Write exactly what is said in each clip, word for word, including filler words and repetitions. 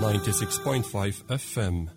ninety-six point five F M.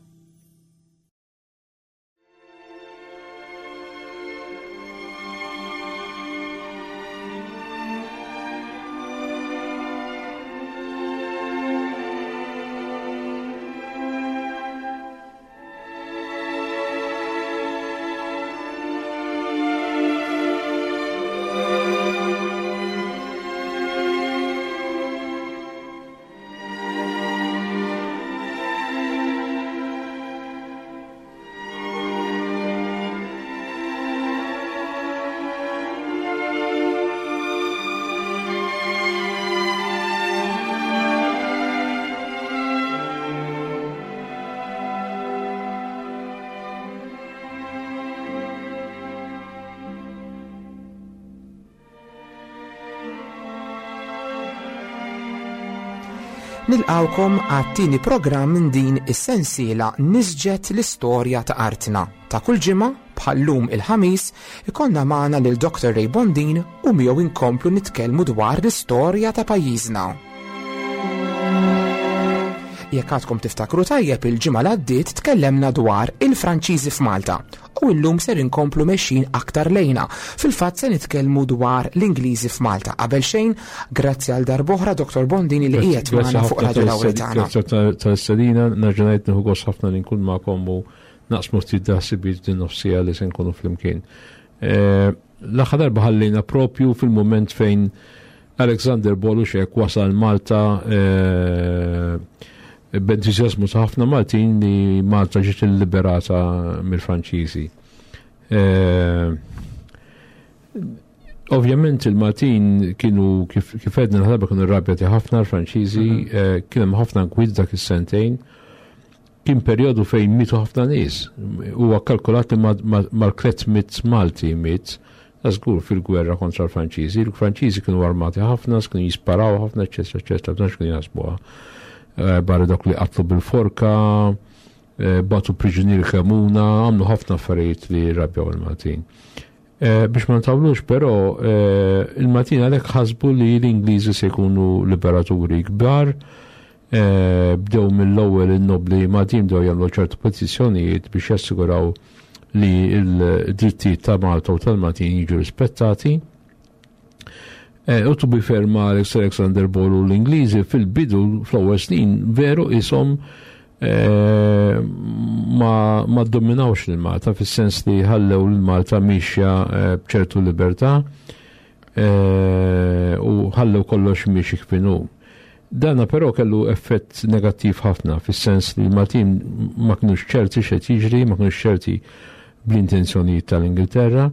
Nilqawkom għat-tieni programm minn din is-sensiela Nisġet l-istorja ta' artna. Ta' kull ġimgħa bħal-lum il-ħamis ikollna magħna lil Doctor Ray Bondin u miegħu inkomplu nitkellmu dwar l-istorja ta' pajjiżna. Jekk għadkom tiftakru tajjeb, il-ġimgħa li għaddiet tkellemna dwar il-Franċiżi f'Malta u llum ser inkomplu mexjin aktar lejna. Fil-fatt se nitkellmu dwar l-Ingliżi f'Malta. Qabel xejn, grazzi għal darb'oħra Doctor Bondin li qiegħed magħna fuq Radio Lawritana. Grazzi tal-istedina, nerġa' ngħid nieħu gost ħafna li nkun magħkom u naqsmu ftit daħsibiet din nofsija li se nkunu flimkien. Eh, l-aħħar darba ħallejna propju fil-mument fejn Alexander Boluxek wasal Malta, eh, b'entużjażmu ta' ħafna Maltin li Malta ġiet illiberata mill-Franċiżi. Eh, ovvjament il-Maltin kienu, kif, kif għedna l-ħarba, kienu rrabjati ħafna l-Franċiżi, Mhm. eh, kien hemm ħafna nkwiet dak is-sentejn. Kien perjodu fejn mietu ħafna nies. Huwa kalkulat li mal-tliet mitt Malti miet, ta' żgur fil-gwerra kontra l-Franċiżi. Il-Franċiżi kienu armati ħafna, kienu jisparaw ħafna, eċċetera, eċċetera, ma tantx kienu jaħsbuha. Eh, barra dak li qatlu bil-forka, eh, batu priġunieri kemuna, għamlu ħafna affarijiet li rabjaw il-Maltin. Eh, biex ma ntawlux, però, eh, il-Maltin għalhekk ħasbu li l-Ingliżi se jkunu liberaturi kbar, eh, bdew mill-ewwel in-nobli Maltin bdew jagħmlu ċertu petizzjonijiet biex jassiguraw li l-drittijiet ta' Malta u tal-Maltin jiġu rispettati. Eh, u to be fair ma' Alex Alexander Ball u l-Ingliżi fil-bidu fl-ewwel snin veru ishom, eh, ma, ma dominawx lil Malta fis-sens li ħallew lil Malta mixja, eh, b'ċertu libertà, eh, u ħallew kollox miexi kif inhu. Dana però kellu effett negattiv ħafna fis-sens li l-Maltin ma kinux ċerti x'qed jiġri, ma kinux ċerti bl-intenzjonijiet tal-Ingilterra.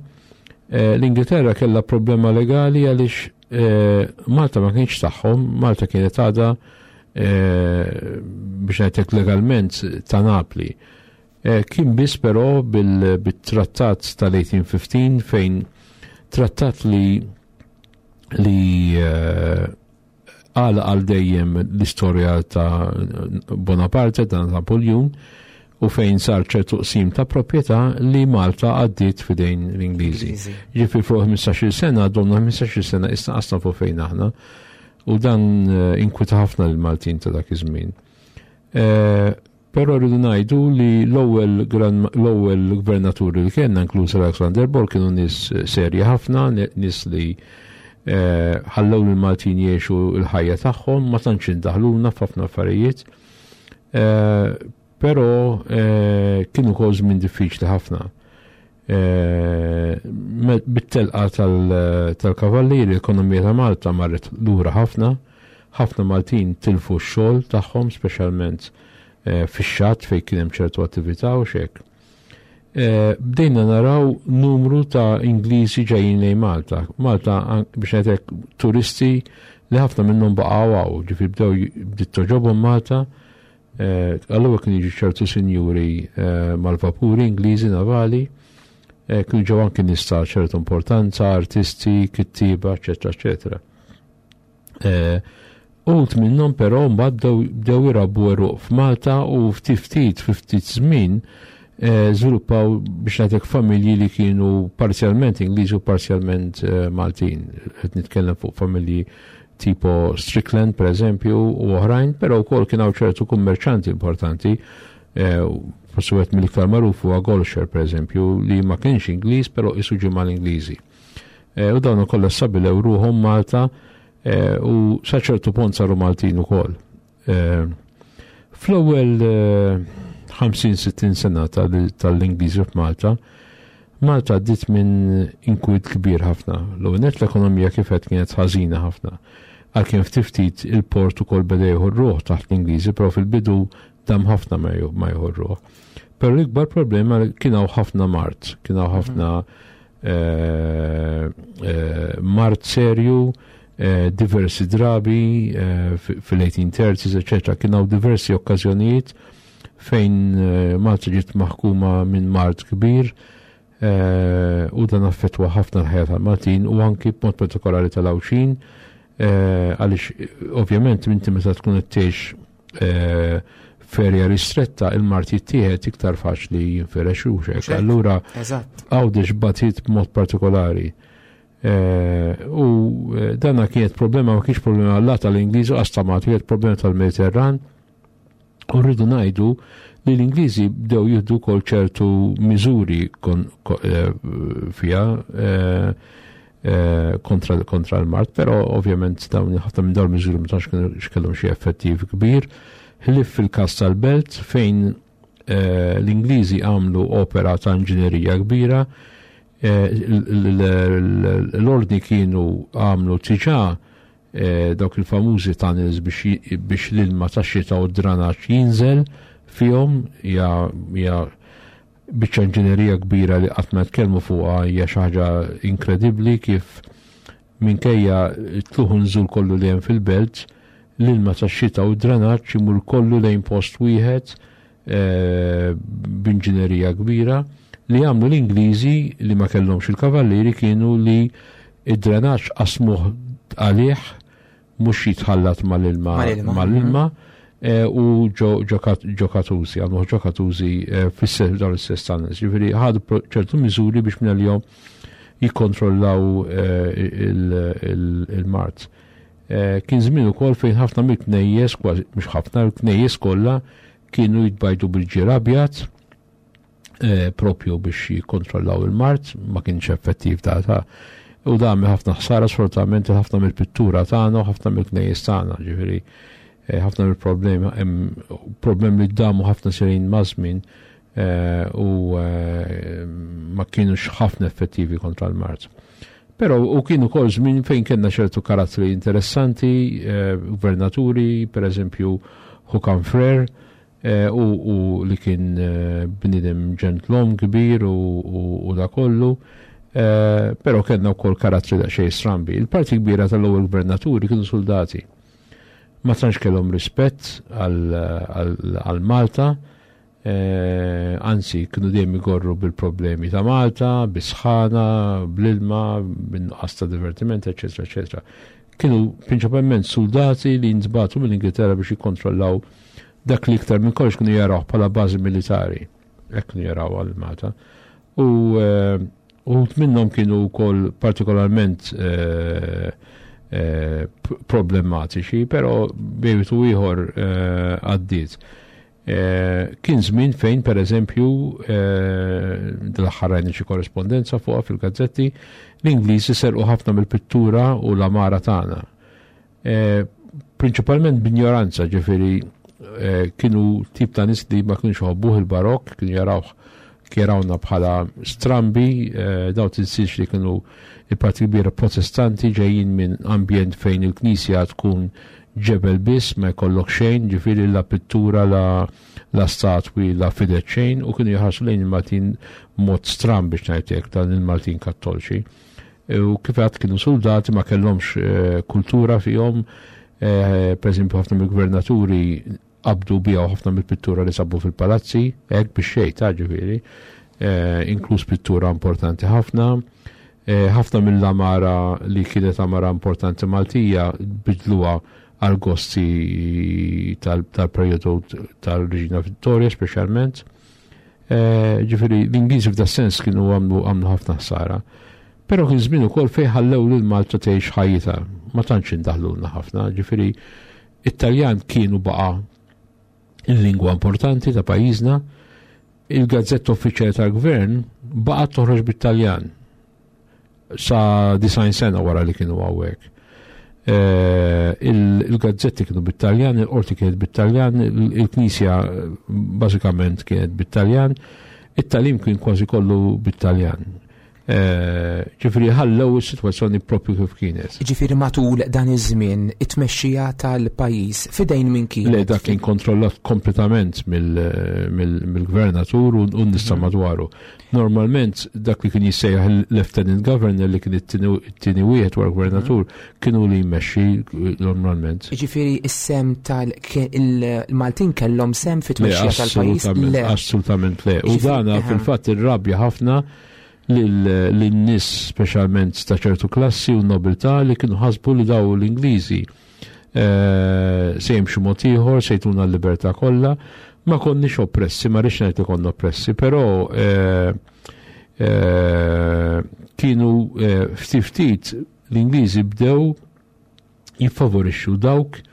Eh, l-Ingilterra kellha problema legali għaliex, eh, Malta ma kienx tagħhom, Malta kienet għadha, eh, biex ngħidlek legalment ta' Napli. Eh, kien biss però bil-, bit-trattat tal-eighteen fifteen fejn trattat li, li, eh, għal għal dejjem l-istorja ta' Bonaparte, ta' Napoleon, u fejn sar ċertu qsim ta' proprjetà li Malta għaddiet f'idejn l-Ingliżi. Ingliżi. Ġifieri fuq ħmistax-il sena, domna ħmistax-il sena, issa qasna fuq fejn aħna, u dan, eh, inkwita ħafna l-Maltin ta' dak iż-żmien. Eh, però rridu ngħidu li l-ewwel gran-, l-ewwel gvernaturi li kellna, inkluż Alexander Ball, kienu nies serji ħafna, ni-, nies li, eh, ħallew lill-Maltin jgħixu l-ħajja tagħhom, ma tantx indaħluna f'ħafna affarijiet. Eh, però, eh, kienu wkoll żmien diffiċli ħafna. Eh, me-, bit-telqa tal-, tal-kavallieri, l-ekonomija ta' Malta marret lura ħafna, ħafna Maltin tilfu x-xogħol tagħhom, speċjalment, eh, fix-xatt fejn kien hemm ċertu attività u xek. Eh, bdejna naraw numru ta' Ingliżi ġejjin lejn Malta. Malta, an-, biex ngħidlek, turisti li ħafna minnhom baqgħu hawn, ġifieri bdew j-, bdiet toġobhom Malta. Eh, allura kienu jiġu ċertu sinjuri, eh, mal-vapuri Ingliżi navali, eh, kienu ġew anki nies ta' ċertu importanza, artisti, kittieba, eċċetera, eċċetera. Eh, uħud minnhom però mbagħad bdew, bdew irabbu għeruq f'Malta u ftit ftit, fi ftit żmien, eh, żviluppaw biex ngħidlek familji li kienu parzjalment Ingliżi u parzjalment, eh, Maltin. Qed nitkellem fuq familji Tipo Strickland per eżempju u oħrajn, però wkoll kien hawn ċertu kummerċanti importanti, eh, forsi wieħed mill-iktar magħruf huwa Golcher per eżempju, li ma kienx Ingliż però isu ġie mal-Ingliżi. Eh, u dawn ukoll stabbilew ruħhom Malta eh, u sa ċertu punt saru Maltin ukoll. Fl-ewwel ħamsin sittin sena tal-Ingliżi f'Malta, Malta għaddiet minn inkwiet kbir ħafna. L-ewwel nett l-ekonomija kif qed kienet ħażina ħafna. Għalkemm ftit ftit il-port ukoll beda jieħu ruħ taħt l-Ingliżi, però fil-bidu dam ħafna ma jieħu ruħ. Però l-ikbar problema kien hawn ħafna mard, kien hawn ħafna eh, eh, mard serju, eh, diversi drabi fil-eighteen thirties, eccetera. Kien hawn diversi okkażjonijiet fejn Malta ġiet maħkuma minn mard kbir u dan affettwa ħafna l-ħajja tal-Maltin u anki b'mod partikolari tal-Għawdxin, għaliex ovvjament inti meta tkun qed tgħix f'erja ristretta, il-mard jittieħed iktar faċli, jinfirex u hekk. Allura Għawdex batiet b'mod partikolari. U dana kienet problema, ma kienx problema għallat tal-Ingliżi u għastamat, kienet problema tal-Mediterran. U rridu ngħidu li l-Ingliżi bdew jieħdu kol ċertu miżuri fija kontra, kontra l-mard, però ovvjament dawn ħafna minn dawn miżuri ma tantx kellhom xi effettiv kbir. Ħlief fil-każ tal-Belt fejn l-Ingliżi għamlu opera ta' inġinerija kbira, l-ordni kienu għamlu diġà dawk il-famużi tunnels biex l-ilma tax-xita u d-dranaġġ jinżel fihom. Hija biċċa inġinerija kbira li qatt ma tkellmu fuqha, hija xi ħaġa inkredibbli kif minkejja tlugħ u nżul kollu li hemm fil-Belt, l-ilma tax-xita u d-dranaġġ imur kollu lejn post wieħed b'inġinerija kbira. Li għamlu l-Ingliżi, li ma kellhomx il-kavallieri, kienu li id-drenaġġ qasmuh għalih, mhux jitħallat mal-ilma mal-ilma u ġo katusi, għamlu ġo katusi fis dawn l-istess tunnels. Ġifieri ħadu ċertu miżuri biex minn għalihom jikkontrollaw il-mard. Kien żmien ukoll fejn ħafna mill-knejjes, kważi mhux ħafna, l-knejjes kollha kienu jitbajdu bil-ġir abjad propju biex jikkontrollaw il-mard, ma kienx effettiv ta' ta' u da ħafna ħsara sfortunatament ħafna mill-pittura tagħna u ħafna mill-knejjes tagħna, ġifieri ħafna mill-problemi, problemi li damu ħafna snin maż-żmien u ma kienux ħafna effettivi kontra l-mard. Però u kienu kol żmien fejn kellna ċertu karattri interessanti, gvernaturi, per eżempju Hookham Frere, u li kien bniedem ġentlom kbir u da kollu, però kellna wkoll karattri daqsxejn strambi. Il-parti kbira tal-ewwel gvernaturi kienu soldati. Ma tantx kellhom rispett għal Malta, anzi kienu dejjem igorru bil-problemi ta' Malta, bis-sħana, bl-ilma, bin-nuqqas ta' divertiment, eċetera, eċetera. Kienu prinċipalment soldati li ntbagħtu mill-Ingilterra biex jikkontrollaw dak li iktar minn kollox kienu jaraw bħala bażi militari. Hekk kienu jaraw għal Malta. U uħud minnhom kienu wkoll partikolarment problematiċi, però bejn wieħed u ieħor għaddiet. Kien żmien fejn per eżempju dal-aħħar rajna xi korrespondenza fuqha fil-gazzetti, l-Ingliżi serqu ħafna mill-pittura u l-amara tagħna. Prinċipalment b'injoranza, ġifieri kienu tip ta' nies li ma kienux jħobbuh il-Barokk, kienu jarawh jarawna bħala strambi, daw tinsiex li kienu il-parti kbira protestanti ġejjin minn ambjent fejn il-knisja tkun ġebel biss, ma jkollok xejn, ġifieri la pittura, la, la statwi, la fidet xejn, u kienu jħarsu lejn il-Maltin mod stramb biex ngħidlek, dan il-Maltin kattolċi. U kif għad kienu soldati, ma kellhomx kultura fihom, per eżempju ħafna mill-gvernaturi qabdu bijaw ħafna mill-pittura li sabu fil-palazzi, hekk biex xejn ta' ġifieri, inkluż pittura importanti ħafna. Ħafna mill-amara li kienet amara importanti Maltija bidluha għal gosti tal-perjodu tal-Reġina Vittoria speċjalment. Ġifieri l-Ingliżi f'da sens kienu għamlu ħafna ħsara. Però kien żmien ukoll fejn ħallew lil Malta tgħix ħajjitha, ma tantx indaħlulna ħafna, ġifieri it-Taljan kienu baqa' il-lingwa importanti ta' pajjiżna, il-gazzetta uffiċjali tal-gvern baqgħet toħroġ bit-Taljan sa disgħin sena wara li kienu hawnhekk. Il-gazzetti kienu bit-Taljan, il-qorti kienet bit-Taljan, il-knisja bażikament kienet bit-Taljan, it-tagħlim kien kważi kollu bit-Taljan. Ġifieri ħallew is-sitwazzjoni propju kif kienet. Ġifieri matul dan iż-żmien it-tmexxija tal-pajjiż f'idejn min kien? Le, dak kien kontrollat kompletament mill-gvernatur u n-nies ta' madwaru. Normalment dak li kien jissejjaħ il-lieutenant governor, li kien it-tieni wieħed wara gvernatur, kienu li jmexxi normalment. Ġifieri is-sehem tal-Maltin kellhom sehem fit-tmexxija tal-pajjiż? Le, assolutament le. U dana fil-fatt irrabja ħafna lin-nies, speċjalment ta' ċertu klassi u nobiltà, li kienu ħasbu li daw l-Ingliżi se jimxu mod ieħor, se jtuna l-libertà kollha. Ma konniex oppressi, ma rridx ngħid li konna oppressi, però kienu ftit ftit l-Ingliżi bdew jiffavorixxu dawk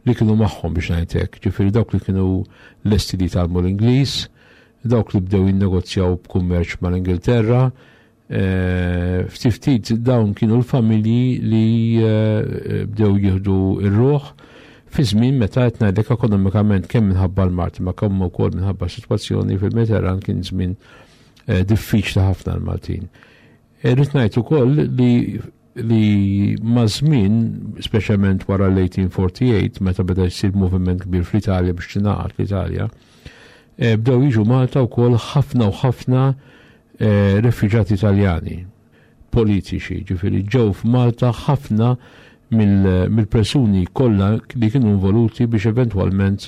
li kienu magħhom, biex ngħid hekk, ġifieri dawk li kienu lesti li jitgħallmu l-Ingliż, dawk li bdew jinnegozjaw b'kummerċ mal-Ingilterra, ftit ftit dawn kienu l-familji li bdew jieħdu r-ruħ fi żmien meta qed ngħidlek ekonomikament, kemm minħabba l-Malti ma kemm ukoll minħabba sitwazzjoni fil-Mediterran, kien żmien diffiċli ħafna l-Maltin. Irrid ngħid ukoll li li ma' żmien, speċjalment wara l-eighteen forty-eight, meta beda jsir moviment kbir fl-Italja biex tingħaqad l-Italja, bdew jiġu Malta wkoll ħafna u ħafna refuġjati Italjani politiċi, ġifieri ġew f'Malta ħafna mill-persuni kollha li kienu involuti biex eventwalment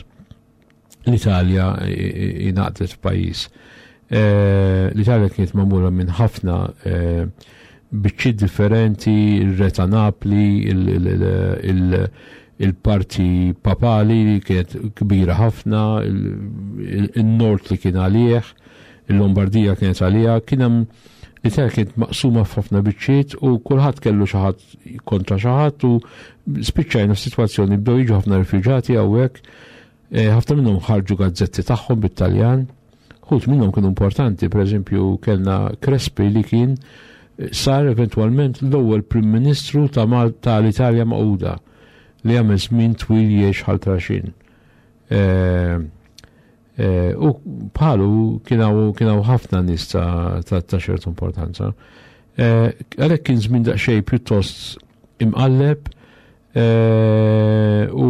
l-Italja ingħaqdet f'pajjiż. L-Italja kienet magħmula minn ħafna biċċiet differenti, il-Re ta' Napli, il-parti papali li kienet kbira ħafna, il-Nord li kien għalih, il-Lombardija kienet għalija, kien hemm l-Italja kienet maqsuma f'ħafna biċċiet u kulħadd kellu xi ħadd kontra xi ħadd u spiċċajna f'sitwazzjoni bdew jiġu ħafna rifuġjati hawnhekk, ħafna minnhom ħarġu gazzetti tagħhom bit-Taljan, ħut minnhom kienu importanti, pereżempju kellna Crespi li kien sar eventwalment l-ewwel Prim Ministru ta' Malta tal-Italja Magħquda li għamel żmien twil jgħix ħal traxin. U bħalu kien hawn ħafna nies ta' ċertu importanza. Għalhekk kien żmien daqsxejn pjuttost imqalleb, u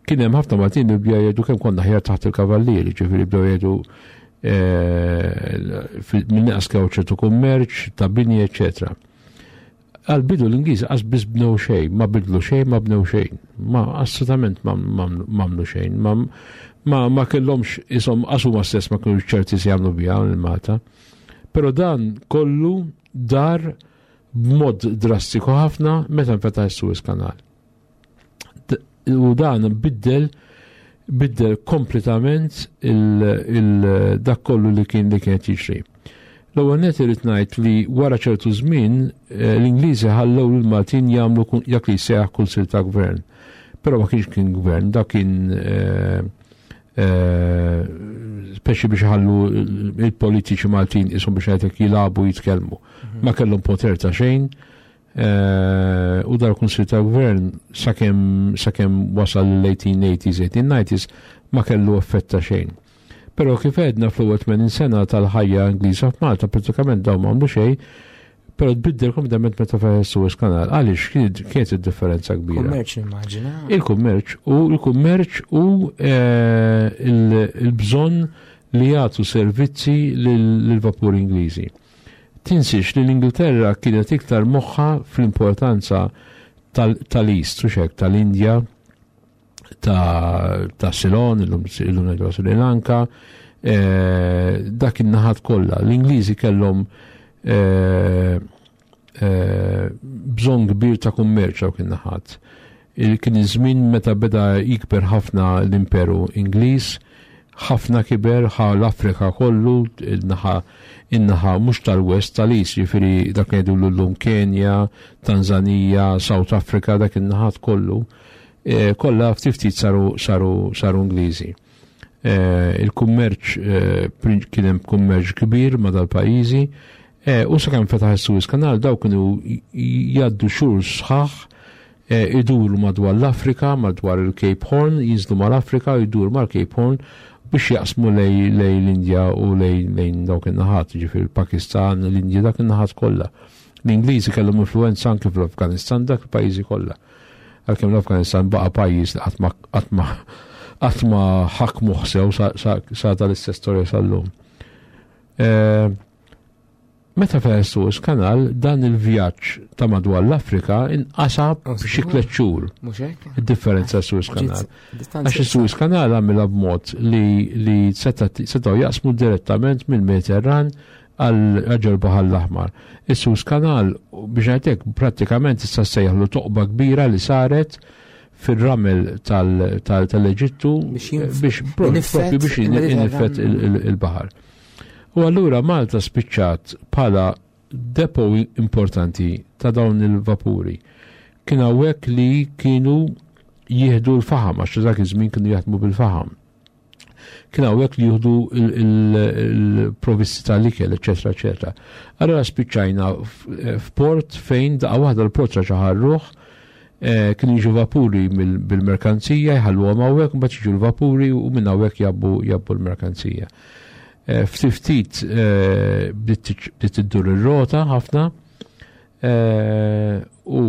kien hemm ħafna Maltin li bdew jgħidu kemm konna ħjar taħt il-kavallieri, ġifieri bdew jgħidu minn naqas kew ċertu kummerċ, ta' bini, eċċetera. Għal-bidu l-Ingliżi qas biss bnew xejn, ma bidlu xejn, ma bnew xejn, ma assolutament ma għamlu xejn, ma kellhomx ishom qas huma stess ma kienu ċerti se jagħmlu biha il-Malta. Però dan kollu dar b'mod drastiku ħafna meta nfetaħ is-Suez Canal. U dan biddel biddel kompletament dak kollu li kien li kienet jiġri. L-ewwel nett irid ngħid li wara ċertu żmien l-Ingliżi ħallew lill-Maltin jagħmlu dak li jsejjaħ kunsill ta' gvern. Però ma kienx kien gvern, dak kien speċi biex ħallu il-politiċi Maltin ishom biex ngħidlek jilagħbu jitkellmu. Ma kellhom poter ta' xejn. U dar kunsill ta' gvern sakemm sakemm wasal l-eighteen eighties, eighteen nineties ma kellu effett ta' xejn. Però kif għedna fl-ewwel tmenin sena tal-ħajja Ingliża f'Malta pratikament dawn ma għamlu xejn, però tbiddel kompletament meta fetaħ is-Suez Canal. Għaliex kienet id-differenza kbira? Kummerċ immaġina. Il-kummerċ u l-kummerċ u il-bżonn li jagħtu servizzi lill-vapuri Ingliżi. Tinsiex li l-Ingilterra kienet iktar moħħa fl-importanza tal-East, u xek, tal-Indja, ta' Ceylon, illum ngħidu Sri Lanka, dak in-naħat kollha. L-Ingliżi kellhom bżonn kbir ta' kummerċ dawk in-naħat. Kien iż-żmien meta beda jikber ħafna l-Imperu Ingliż Ħafna kiber, ħa l-Afrika kollu, in-naħa in-naħa mhux tal-West, tal-East, jiġifieri dak li ngħidu llum Kenja, Tanzania, South Africa, dak in-naħat kollu, eh, kollha ftit ftit saru saru saru Ingliżi. Eh, il-kummerċ eh, kien hemm kummerċ kbir ma' dal-pajjiżi u sakemm fetaħ is-Suez Canal daw kienu jgħaddu xhur sħaħ iduru madwar l-Afrika, madwar il-Cape Horn, jinżlu mal-Afrika, iduru mal-Cape Horn biex jaqsmu lej l-Indja u lejn dawk in-naħat, ġifieri il-Pakistan, l-Indja, dak in-naħat kollha. L-Ingliżi kellhom influenza anke fl-Afganistan, dak il-pajjiżi kollha. Għalkemm l-Afganistan baqa' pajjiż li qatt ma qatt ma ħakmu sew sa tal-istess storja sal-lum. Meta fetaħ Suez Canal, dan il-vjaġġ ta' madwar l-Afrika inqasa b'xi tliet xhur. Id-differenza Suez Canal. Għax is-Suez Canal għamilha b'mod li li setgħu jaqsmu direttament mill-Mediterran għal ġol Baħar l-Aħmar. Is-Suez Canal, biex ngħidlek, prattikament issa sejjaħlu toqba kbira li saret fil-ramel tal-Eġittu biex biex iniffet il-baħar. U allura Malta spiċċat bħala depo importanti ta' dawn il-vapuri. Kien hawnhekk li kienu jieħdu l-faħam, għax dak iż-żmien kienu jaħdmu bil-faħam. Kien hawnhekk li jieħdu il-provvisti tal-ikel, eċetera, eċetera. Allura spiċċajna f'port fejn daqqa waħda l-port raġa' ħarruħ, kienu jiġu vapuri bil-merkanzija, jħalluhom hawnhekk, mbagħad jiġu l-vapuri u minn hawnhekk jabbu jabbu l-merkanzija. Ftit ftit bdiet iddur ir-rota ħafna u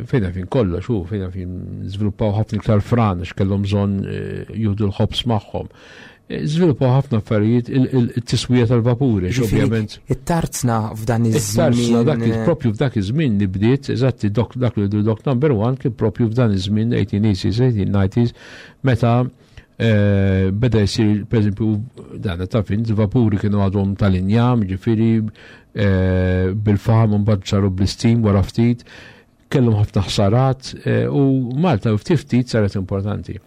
fejna fin kollox, u fejna fin żviluppaw ħafna iktar fran għax kellhom bżonn jieħdu l-ħobż magħhom. Żviluppaw ħafna affarijiet, il-tiswija tal-vapuri, ovvjament. It-tarzna f'dan iż-żmien. It-tarzna dak propju f'dak iż-żmien li bdiet, eżatti dak li dock number one kien propju f'dan iż-żmien eighteen eighties, eighteen nineties, meta beda jsir, per eżempju, dan ta' fin, vapuri kienu għadhom tal-injam, ġifieri bil-faħam, mbagħad saru bl-steam wara ftit, kellhom ħafna ħsarat u Malta ftit ftit saret importanti.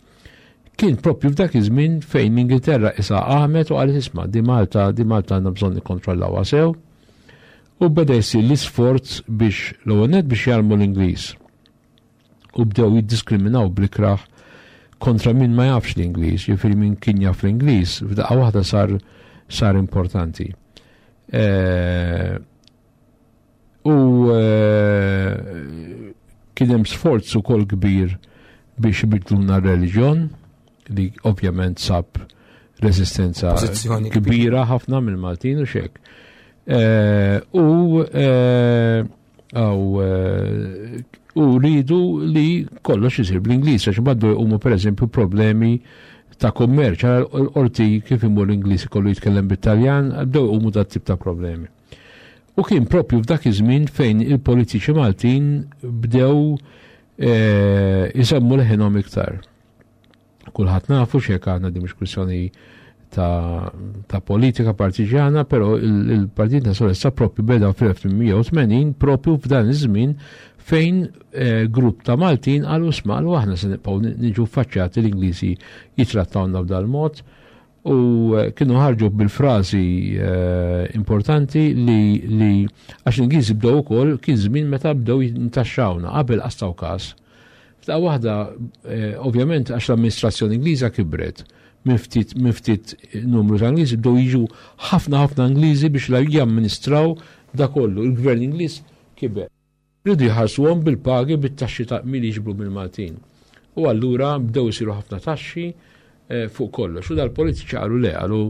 Kien propju f'dak iż-żmien fejn l-Ingilterra issa qamet u qalet: "Isma', di Malta, di Malta għandna bżonn nikkontrollawha sew." U beda jsir l-isforz biex l-ewwel nett biex jgħallmu l-Ingliż. U bdew jiddiskriminaw bl-ikrah kontra min ma jafx l-Ingliż, jiġifieri min kien jaf l-Ingliż, f'daqqa waħda sar sar importanti. U kien hemm sforz ukoll kbir biex ibidluna r-reliġjon, li ovvjament sab resistenza kbira ħafna mill-Maltin u xek. U u rridu li kollox isir bl-Ingliż, għax bdew jqumu pereżempju problemi ta' kummerċ, l-qorti kif imur l-Ingliż kollu jitkellem bit-Taljan, bdew jqumu dat tip ta' problemi. U kien propju f'dak iż-żmien fejn il-politiċi Maltin bdew isemmu leħinhom iktar. Kulħadd nafu x'hekk għandna, di mhux kwistjoni ta', ta politika partiġjana, però il-Partit Nazzjonalista propju beda fl-elf tmien mija u tmenin, propju f'dan iż-żmien fejn eh, grupp ta' Maltin qalu: "Isma'," qalu, "aħna se nibqgħu niġu faċċjati l-Ingliżi jitrattawna b'dal-mod?" U eh, kienu ħarġu bil-frażi eh, importanti li, li għax l-Ingliżi bdew ukoll, kien żmien meta bdew jintaxxawna, qabel qastaw każ. F'daqqa waħda, eh, ovvjament, għax l-amministrazzjoni Ingliża kibret, minn ftit minn ftit numru ta' Ingliżi bdew jiġu ħafna ħafna Ingliżi biex la jamministraw da kollu. Il-gvern Ingliż kiber. Rridu jħarsuhom bil-pagi, bit-taxxi ta' min jiġbru mill-Maltin. U allura bdew isiru ħafna taxxi eh, fuq kollox. U dal-politiċi qalu: "Le," qalu,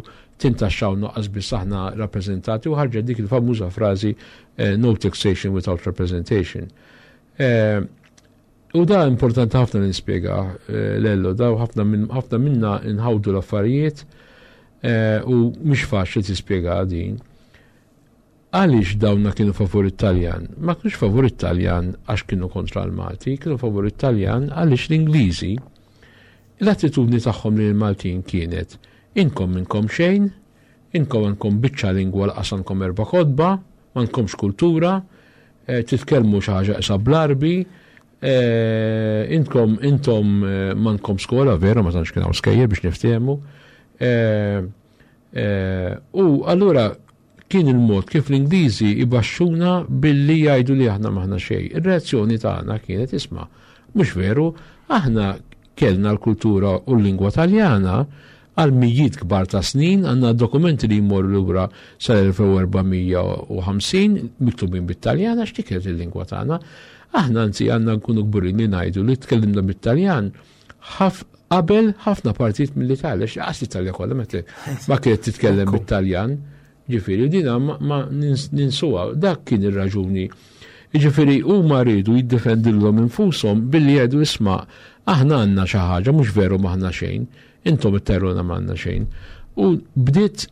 "tintaxxaw noqqas biss aħna rappreżentati", u ħarġet dik il-famuża frażi eh, "no taxation without representation". Eh, U da importanti ħafna li nispjega lello, da ħafna min, ħafna minna nħawdu l-affarijiet u mhix faċli tispjega din. Għaliex dawna kienu favur it-Taljan? Ma kienux favur it-Taljan għax kienu kontra l-Malti, kienu favur it-Taljan għaliex l-Ingliżi l-attitudni tagħhom lil Maltin kienet: "Inkom minkom xejn, inkom għandkom biċċa lingwa, lanqas għandkom erba' kotba, m'għandkomx kultura, eh, titkellmu xi ħaġa isa bl-Arbi, eh, intom intom eh, m'għandkom skola", vera ma tantx kien hawn skejjel biex niftehmu, Eh, eh, u allura kien il-mod kif l-Ingliżi ibaxxuna billi jgħidu li aħna m'aħna xejn. Ir-reazzjoni tagħna kienet isma', mhux veru, aħna kellna l-kultura u l-lingwa Taljana għal mijiet kbar ta' snin, għandna dokumenti li jmorru lura sal-elf u erba' mija u ħamsin miktubin bit-Taljan għax dik kienet il-lingwa tagħna. Aħna anzi għandna nkunu kburin li ngħidu li tkellimna bit-Taljan ħaf qabel ħafna partijiet mill-Italja, għax lanqas l-Italja kollha meta ma kienet titkellem Ekku. bit-Taljan. Ġifieri dina ma, ma nins-, ninsuha, dak kien ir-raġuni. Ġifieri huma rridu jiddefendilhom infushom billi jgħidu isma' aħna għandna xi ħaġa, mhux veru m'aħna xejn, intom itterruna m'għandna xejn. U bdiet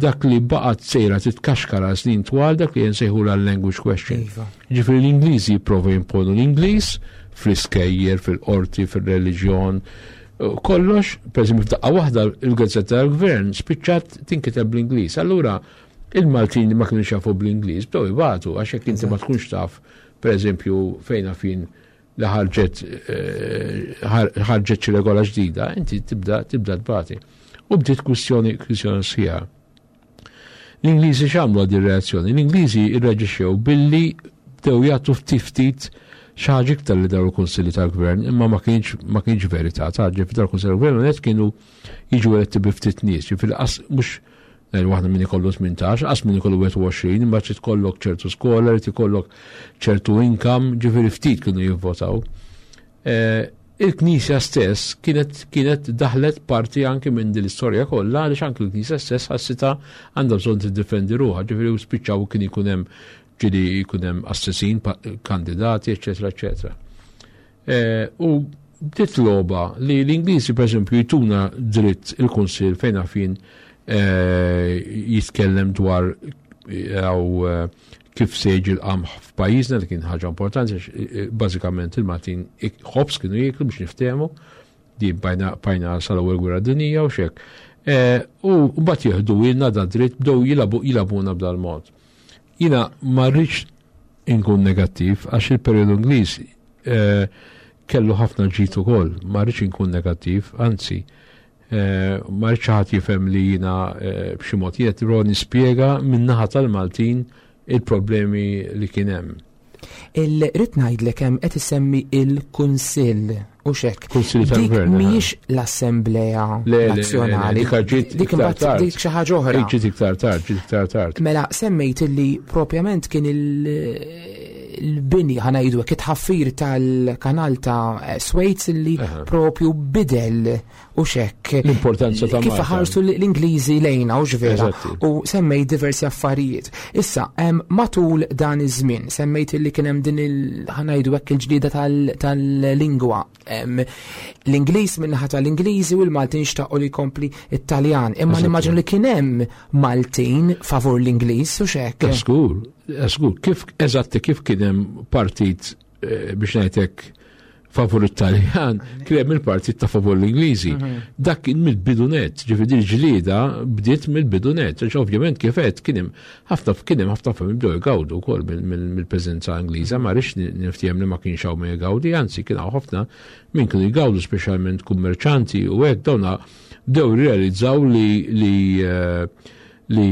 dak li baqgħet sejra titkaxkar għal snin twal, dak li nsejħu la language question. Iva. Ġifieri l-Ingliżi jipprova jimponu l-Ingliż fl-iskejjer, fil-qorti, fil-reliġjon, kollox, per eżempju, f'daqqa waħda il-gazzetta tal-gvern spiċċat tinkiteb bl-Ingliż. Allura il-Maltin li ma kienux jafu bl-Ingliż bdew ibatu, għax jekk inti ma tkunx taf, per eżempju, fejn fin li ħarġet, eh, ħar-, ħarġet xi regola ġdida, inti tibda, tibda tbati. U bdiet kwistjoni, kwistjoni sħiħa. L-Ingliżi x'għamlu għad ir-reazzjoni? L-Ingliżi irreaġixxew billi bdew jagħtu ftit ftit xi ħaġa iktar li dawn il-kunsilli tal-gvern, imma ma kienx, ma kienx verità, ta' ġifieri dawn il-kunsilli tal-gvern net kienu jiġu eletti bi ftit nies, ġifieri qas mhux ngħidu waħda min ikollu tmintax, qas min ikollu wieħed u għoxrin, imma trid ikollok ċertu skola, trid ikollok ċertu income, ġifieri ftit kienu jivvotaw. Eh, il-Knisja stess kienet, kienet daħlet parti anke minn din l-istorja kollha, għaliex anke l-Knisja stess ħassitha għandha bżonn tiddefendi ruħha, ġifieri u spiċċaw kien ikun hemm ġieli jkun hemm assessin, pa-, kandidati, eċetera, eċetera. Eh, u bdiet logħba li l-Ingliżi, per eżempju, jtuna dritt il-Kunsill fejn għafin, eh, jitkellem dwar, eh, għaw, eh, kif se jiġi l-qamħ f'pajjiżna, li kien ħaġa importanti, għax, eh, eh, bażikament il-Maltin ik-, ħobż kienu jieklu biex niftehmu, di bajna, bajna sal-ewwel gwerra dinjija u xek. Eh, u mbagħad jieħdu ilna da dritt, bdew jilabu, jilabuna b'dal-mod. Jiena ma rridx inkun negattiv għax il-perjodu Ingliż, eh, kellu ħafna ġid ukoll, ma rridx inkun negattiv, anzi, eh, ma rridx ħadd jifhem li jiena, eh, b'xi mod jien qed nipprova nispjega min-naħa tal-Maltin il-problemi li kien hemm. Il-rid ngħidlek hemm qed isemmi il-Kunsill u xek. Kunsill Dik tal-Gvern, mhijiex l-Assemblea Le, le, le, le, Nazzjonali. dik ġiet Dik iktar imbagħad tard. dik xi ħaġa oħra. Dik ġiet iktar tard, ġiet iktar tard. Mela semmejt illi propjament kien il-, il-bini ħa ngħidu hekk, it-ħaffir tal-kanal ta' Suez illi Aha. propju bidel u xek. L-importanza ta' Kif Malta. ħarsu l-Ingliżi lejna u x'vera. Eżatti. U semmejt diversi affarijiet. Issa, em, matul dan iż-żmien, semmejt illi kien hemm din il-, ħa ngħidu hekk, il-ġlieda tal-, tal-lingwa. Em, L-Ingliż min-naħa tal-Ingliżi u l-Maltin xtaqu li jkompli it-Taljan. Imma Eżatti. nimmaġinu li kien hemm Maltin favur l-Ingliż u xek. Żgur, żgur, kif eżatti kif kien hemm partit, eh, biex ngħidlek favur it-Taljan, kien hemm il-partit ta' favur l-Ingliżi. Mhm. Dak kien mill-bidunet, ġifieri l-ġlieda bdiet mill-bidunet, għax ovvjament kif qed kien hemm ħafna, kien hemm ħafna familji bdew jgawdu wkoll mill-, mill-, mill-preżenza Ingliża, ma rridx ni-, niftiehem li ma kienx hawn min jgawdi, anzi kien hawn ħafna min kienu jgawdu, speċjalment kummerċanti u hekk, dawna bdew jirrealizzaw li, li, eh, li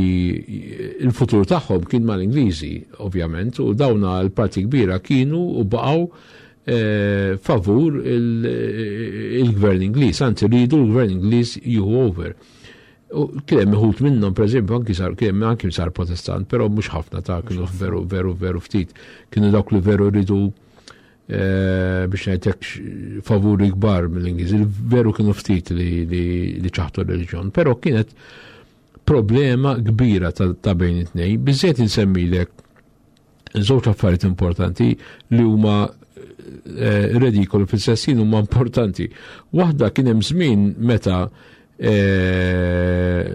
il-futur tagħhom kien mal-Ingliżi, ovvjament, u dawna l-parti kbira kienu u baqgħu, eh, favur il-, il-gvern Ingliż, anzi rridu l-gvern Ingliż jieħu over. U kien hemm uħud minnhom, pereżempju, anki sar, kien hemm anki sar protestant, però mhux ħafna ta' kienu veru, veru, veru ftit. Kienu dawk li veru rridu, eh, biex ngħidlek favuri kbar mill-Ingliżi, veru kienu ftit li, li, li ċaħtu r-reliġjon, però kienet problema kbira ta', ta' bejn it-tnejn. Biżżejjed insemmilek żewġ affarijiet importanti li huma, eh, redikoli fil-sessin huma importanti. Waħda kien hemm żmien meta, eh,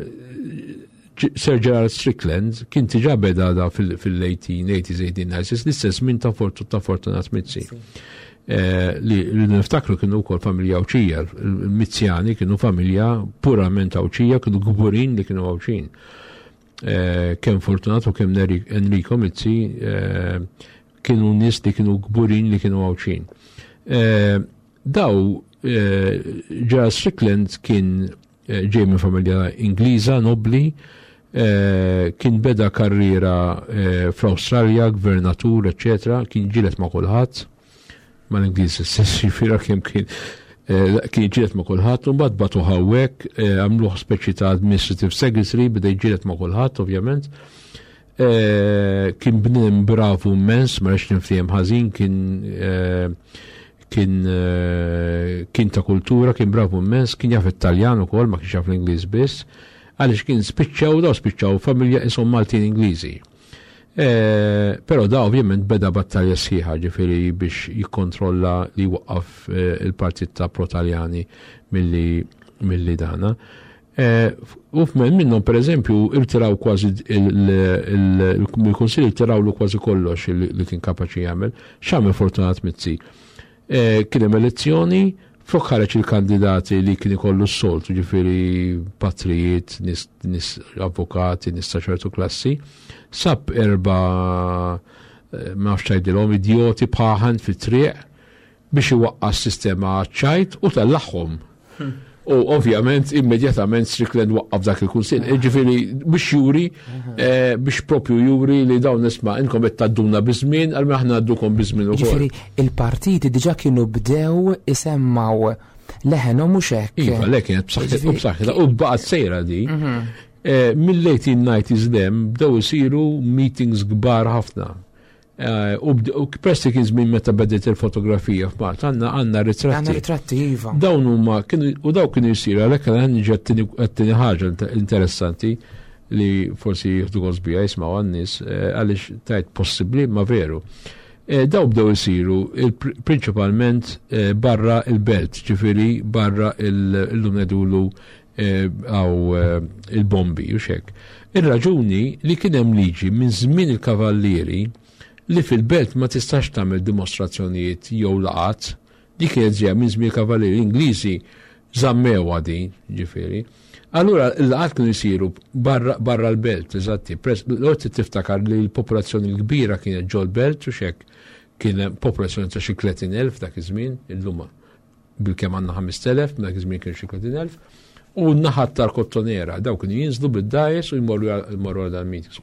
Sir Gerald Strickland kien diġà beda da fil-, fil-eighteen eighties, eighteen nineties, l-istess minn ta' Fortu-, ta' Fortunat Mizzi. Eh, li li niftakru kienu wkoll familja Għawdxija, il-Mizzjani kienu familja purament Għawdxija, kienu kburin li kienu Għawdxin. Eh, kemm Fortunato kemm Neri-, Enrico Mizzi, eh, kienu nies li kienu kburin li kienu Għawdxin. Eh, daw, eh, Gerald Strickland kien eh, ġej minn familja Ingliża nobli, eh, kien beda karriera eh, fl-Awstralja, gvernatur, eccetera, kien ġilet ma' kulħadd, mal-Ingliż stess, jiġifieri kemm kien eh, kien ġilet ma' kulħadd, u mbagħad bagħtuh hawnhekk, eh, għamluh speċi ta' administrative secretary, beda jġilet ma' kulħadd, ovvjament. Eh, kien bniedem bravu immens, ma rridx ninftiehem ħażin, kien eh, kien eh, kien ta' kultura, kien bravu immens, kien jaf it-Taljan ukoll, ma kienx jaf l-Ingliż biss, għaliex kien spiċċaw daw spiċċaw familja isom Maltin Ingliżi. Eh, Però da ovvjament beda battalja sħiħa, ġifieri biex jikkontrolla li waqqaf eh, il-partit ta' pro-Taljani milli milli dana. Eh, U f'men minnhom, per eżempju, irtiraw kważi il-Kunsill, irtirawlu kważi kollox li li kien kapaċi jagħmel. X'għamel Fortunat Mizzi? Eh, Kien hemm elezzjoni, flok ħareġ il-kandidati li kien ikollu s-soltu, ġifieri patrijiet, nis, nis avukati, nis ta' ċertu klassi, sab erba, eh, ma nafx tgħidilhom, idjoti paħan fit-triq biex iwaqqa' s-sistema ċajt u tellagħhom. U ovvjament immedjatament Strickland waqqaf dak il-kunsill. Ġifieri biex juri, eh, biex propju juri li dawn, nisma', inkom qed tgħadduna biż-żmien, għal aħna ngħaddukom biż-żmien ukoll. Ġifieri il-partiti diġà kienu bdew isemmaw leħenhom, mhux hekk? Iva, le, kienet b'saħħitha u b'saħħitha u baqgħet sejra di. Eh, Mill-eighteen nineties dem bdew isiru meetings kbar ħafna. Eh, U bd- u peress li kien żmien meta bediet il-fotografija f'Malta, għandna għandna Għandna ritratti. ritratti, iva. Dawn huma kienu u daw kienu jsiru, għalhekk għan niġi għat-tieni ħaġa interessanti li forsi jieħdu gost biha jismgħu għan-nies, eh, għaliex tajt possibbli ma veru. Eh, Daw bdew isiru il- prinċipalment eh, barra il-belt, ġifieri barra il-lum ngħidulu għaw il-bombi u xek. Ir-raġuni li kien hemm liġi minn żmien il-kavallieri li fil-belt ma tistax tagħmel dimostrazzjonijiet jew laqat, di kienet ġeja minn żmien il-kavallieri Ingliżi, żammewha din, ġifieri. Allura il-laqat kienu jsiru barra, barra l-belt, eżatti. L-orti tiftakar li l-popolazzjoni l-kbira kienet ġol belt u xek, kien hemm popolazzjoni ta' xi tletin elf dak iż-żmien, illum bil-kemm għandna ħamest elef, dak iż-żmien kien xi tletin elf. U n-naħat tal-Kottonera, daw kienu jinżlu bid-dgħajjes u jmorru jmorru għal dal-meetings.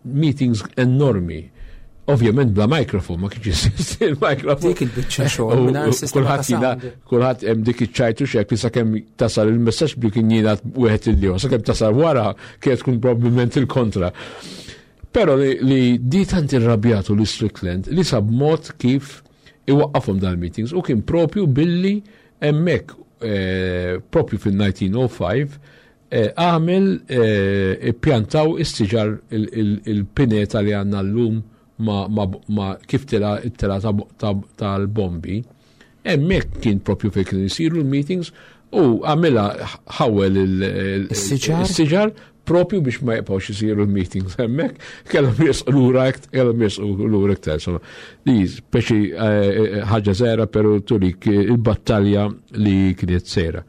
Meetings enormi. Ovvjament bla mikrofon, ma kienx jeżisti il-mikrofon. Dik il-biċċa xogħol U- mingħajr u sistema ta' Kulħadd jina, sound. kulħadd hemm dik iċ-ċajtu xek li sakemm tasal il-messaġġ bi kien jingħad wieħed il sakemm tasal wara kienet tkun probabbilment il-kontra. Però li, li di tant irrabjatu li Strickland li sab mod kif iwaqqafhom dal-meetings u kien propju billi hemmhekk eh, propju fil-elf disa' mija u ħamsa eh, għamel eh, pjantaw is-siġar, il-pineta li għandna llum ma, ma, ma kif tela tela tal-bombi. Hemmhekk kien propju fejn kienu jsiru l-meetings u għamilha ħawel Is-siġar? il-siġar propju biex ma jibqgħux isiru l-meetings hemmhekk, kellhom jersqu lura, kellhom jersqu lura iktar. Insomma, di speċi eh, ħaġa żgħira, però turik il-battalja li kienet sejra.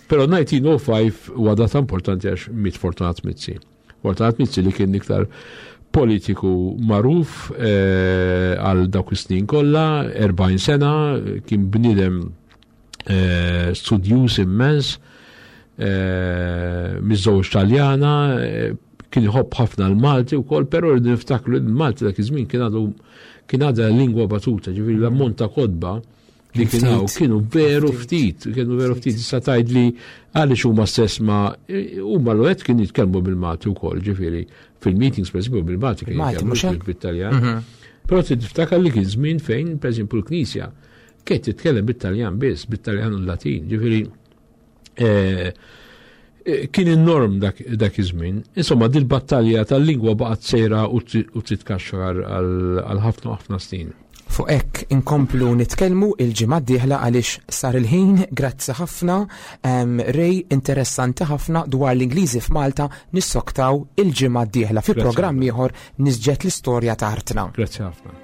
Però elf disa' mija u ħamsa huwa data importanti għax miet Fortunat Mizzi. Fortunat Mizzi li kien iktar politiku magħruf eh, għal dawk is-snin kollha, erbgħin sena, kien bniedem eh, studjuż immens, eh, miżżewweġ Taljana, eh, kien iħobb ħafna l-Malti wkoll, però rridu niftakru li l-Malti dak iż-żmien kien għadu kien għadha lingwa batuta, ġifieri l-ammont ta' kotba li Kien kien hawn ftit. Kienu veru ftit, kienu veru ftit. Issa tgħid li għaliex huma stess ma huma l kienu jitkellmu bil-Malti wkoll, ġifieri fil-meetings, per eżempju, bil-Malti kienu Bil-Malti, jitkellmu mhux hekk? bit-Taljan. Però tiftakar li kien żmien fejn, per eżempju, l-Knisja kienet titkellem bit-Taljan biss, bit-Taljan u l-Latin, ġifieri eh, eh, kien in-norm dak, dak iż-żmien. Insomma, dil-battalja tal-lingwa baqgħet sejra u ti- u titkaxxar għal għal ħafna ħafna snin. Fuq hekk inkomplu nitkellmu il-ġimgħa d-dieħla għaliex sar il-ħin. Grazzi ħafna, em, Ray, interessanti ħafna dwar l-Ingliżi f'Malta. Nissoktaw il-ġimgħa d-dieħla fi Grazzi programm ħafna. ieħor, Nisġet l-Istorja ta' Artna. Grazzi ħafna.